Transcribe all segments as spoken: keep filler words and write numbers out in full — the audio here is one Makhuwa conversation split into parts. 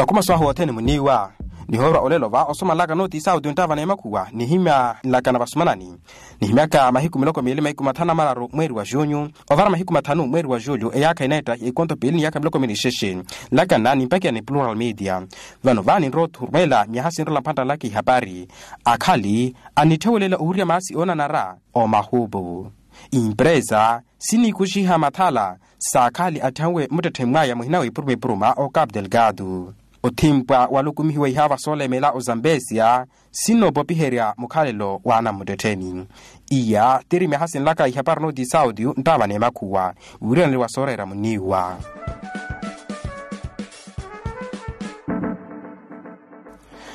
Khumaso ahu othene muniiwa. Nihoorwa olelo va osomanlaka nooti saudi onttaavana emakhuwa nihimya nlakana vasumanani. Nihimyaka mahiku miloko miili mahiku mathanu na mararu mweeri wa junyu, ovara mahiku mathanu mweeri wa julyu eyaakha ineetta ya ikonto piili ni yaakha miloko miili nixexe. Nlakana nimpakiya ni plural media. Vano va ninrowa othurumela myaha sinrola mphantta nlaka ihapari. Akhali anitthewelela owurya maasi oonanara omahupu. Impresa siniikuxiha mathala saakhali atthenwe muttetthe mwaya muhina wa ipuruma ipuruma o capu delgado. Othimpwa walukumihiwa ihaava soolemela ozambesia sinoopopiherya mukhalelo wa anamuttettheni. Iya tiri myaha sinlaka ihapari nooti saudi nttaavana emakhuwa wiiraneliwa sooreera muniiwa.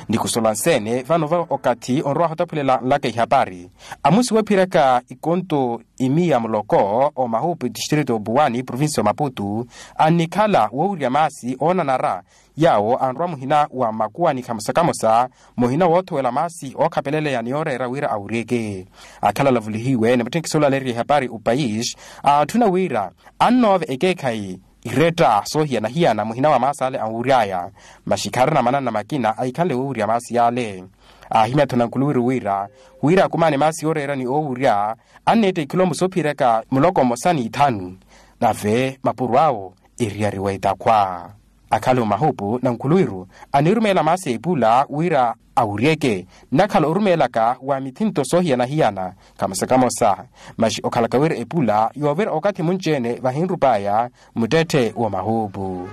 Ni khusola nseene vano va okathi onrowa ohotaphulela nlaka ihapari. Amusi woophiraka ikonto imiya muloko omahupu distrito obuwani provincia omaputu annikhala woowirya maasi oonanara yaawo anrowa muhina wa makuwani khamosa khamosa muhina woothowela maasi ookhapeleleya ni yooreera wira awuryeke. Akhala alavulihiwe ni mutthenkisi oolalerya ihapari opayis aatthuna wira annoova ekeekhayi iretta soohiyana-hiyana muhina wa maasi ale anwury'aya. Masi khaarina mananna makina ahikhanle woowirya maasi ale. Aahimya-tho nankhuluwiru wira wira akumaane maasi yooreera ni oowurya anneetta ikhilomu soophiraka muloko mmosa n'ithanu. Nave mapuro awo eriyariwa etakhwa. Akhala omahupu nankhuluwiru anirumeela maasi a epula wira awuryeke. Nnakhala orumeelaka wa mithinto soohiyana-hiyana khamosa khamosa. Masi okhalaka wira epula yoovira okathi munci-ene vahinrup'aya muttetthe w'omahuupu.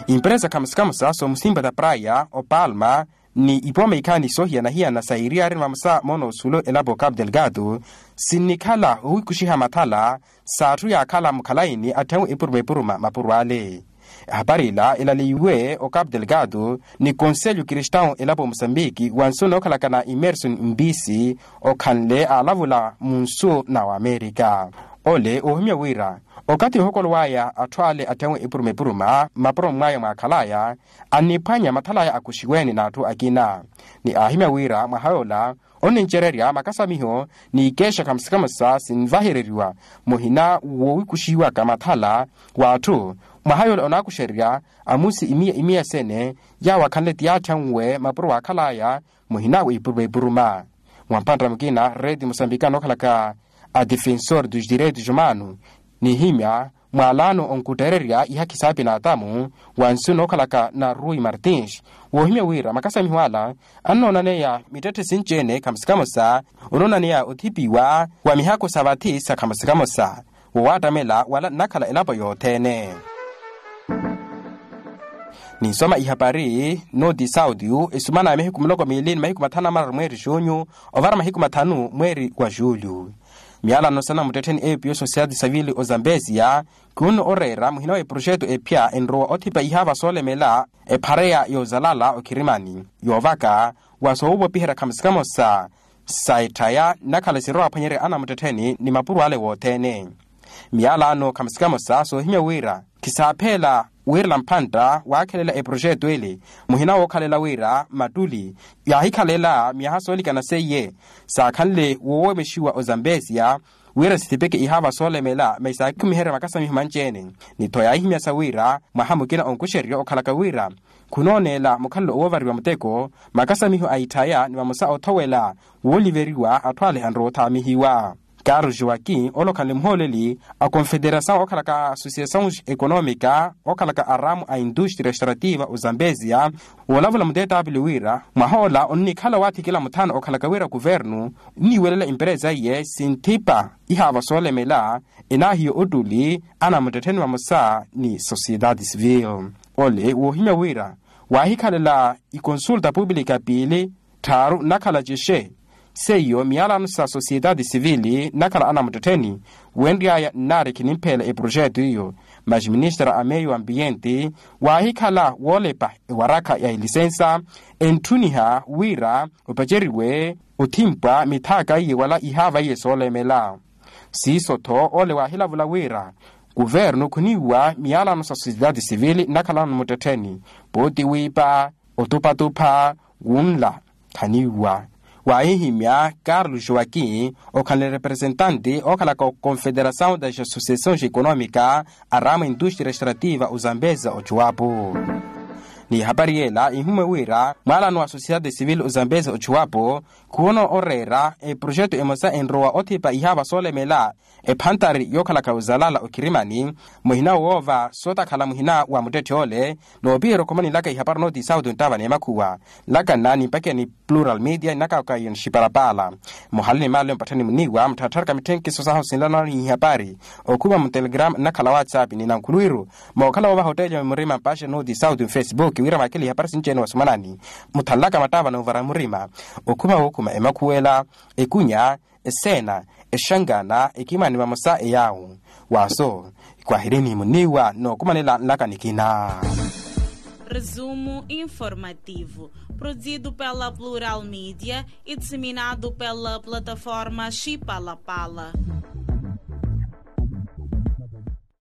Imperesa khamosa khamosa soomusimpa ta praya opalma ni ipooma ikhaani soohiyana-hiyana sa iriari ni vamosa moona osulo elapo capu delgado sinnikhala owiikuxiha mathala. S'atthu yaakhala mukhalayini atthenwe epuruma epuruma mapuro ale. Ehapari ila elaleiwe ocapu delgado ni conselho cristão elapo musambiki wa nsu nookhalaka na immerson mbisi okhanle aalavula mu nsu na wamerika. Ole oohimya wira okathi ohokolow'aya atthu ale atthenwe epuruma epuruma mapuro mwaya mwaakhal'aya anniphwanya mathal'aya akuxiweni n'atthu akina. Ni aahimya wira mwaha yoola onnincererya makasamiho n'ikeexa khamosa khamosa sinvahereriwa muhina woowikuxiwaka mathala w'atthu. Mwaha yoola onaakuxererya amusi imiya imiya sene yaawo akhanle ti yaatthanwe mapuro waakhal'aya muhina wa ipuruma ipuruma. Mwa mphantta mukina reti musambikana okhalaka a defensor dos direitos humanos nihimya mwaalaano onkuttererya ihakhi saapina atamu wa nsu nookhalaka na rui martins woohimya wira makasamiho ala annoonaneya mittetthe sinci-ene khamosa khamosa onoonaneya othipiwa wa mihakhu sa vathi sa khamosa khamosa woowattamela wala nnakhala elapo yothene. Ninsoma ihapari nooti saudio esumana ya mahiku miloko miili ni mahiku mathanu na mararu mweeri junyu ovara mahiku mathanu mweeri wa julyu. Miyalano sa namuttettheni epiyo sosiyati savili ozambesia khunno oreera muhina wa eproxeto ephya enrowa othipa ihaava soolemela ephareya yoozalala okhirimani yoovaka wa soowopiherya khamosa khamosa sa etthaya nnakhala sirowa aphwanyerya anamuttettheni ni mapuro ale wothene. Miyalano khamosa khamosa soohimya wira khisaapheela wiirela mphantta waakhelela eproxeto ele muhina wookhalela wira mattuli yaahikhalela myaha soolikana seiye saakhanle woowomexiwa ozambesia wira sithipeke ihaava soolemela masi saakhumiherya makasamiho manci-ene. Ni-tho yaahimyasa wira mwaha mukina onkuxererya okhalaka wira khunooneela mukhalelo owoovariwa muteko makasamiho a itthaya ni vamosa othowela wooliveriwa atthu ale anrowa othaamihiwa. Carlos joaquim ole okhanle muhooleli a confederasaw okhalaka associasaw economica okhalaka aramu a industria extrativa ozambesia woolavula mutetapili wira mwaha ola onnikhala owaathikela muthano okhalaka wira kuvernu nniiwelela imperesa iye sinthipa ihaava soolemela enaahiya ottuli anamuttettheni vamosa ni sociedade civil. Ole woohimya wira waahikhalela ikonsulta publica piili tthaaru nnakhala cexe seiyo miyalano sa sociedade civili nnakhala anamuttettheni wenry'aya nnaari khinimpheela eproxeto iyo. Masi ministra a meio ambiente waahikhala woolepa ewarakha ya elisensa entthuniha wira opaceriwe othimpwa mithaaka iye wala ihaava iye soolemela. Siiso-tho ole waahilavula wira kuvernu khuniiwa miyalano sa sociedade civili nnakhalano muttettheni pooti wiipa otupatupha wunla khaniiwa. Waahihimya carlos joaquim okhala ni representante okhalaka oconfederação das associações econômica aramu industria extrativa ozambeza ochuwapo. Ni ehapari yela ihumwe wira mwaalano wa sociedade civil ozambeza ochuwapo khuwono oreera eprojeto emosa enrowa othipa ihaava soolemela ephantari yookhalaka ozalala okhirimani muhina woova sootakhala muhina wa muttetthe ole. Noopiherya okhumanilaka ihapari nooti sauti onttaava n'emakhuwa nlakanna nimpakiya ni plural media ninakaka iyo nixipalapaala muhali ni maale mpatthani muniiwa muttharatharaka mitthenkiso sahu sinlanani ihapari okhuma mutelegrama nnakhala whatsapp ni nankhuluwiru mookhala woovaha otteeliwa mimurima mpaxe nooti sauti mfacebook wira mwakhele ihapari sinci-ene wasumanani muthanlaka mattaava noovara murima okhuma wookhuma emakhuwela ekunya eseena exangana ekimani vamosa eyaawu waaso kwahireni muniiwa nookumanela nlaka nikina. Resumo informativo, produzido pela plural media e disseminado pela plataforma xipalapala.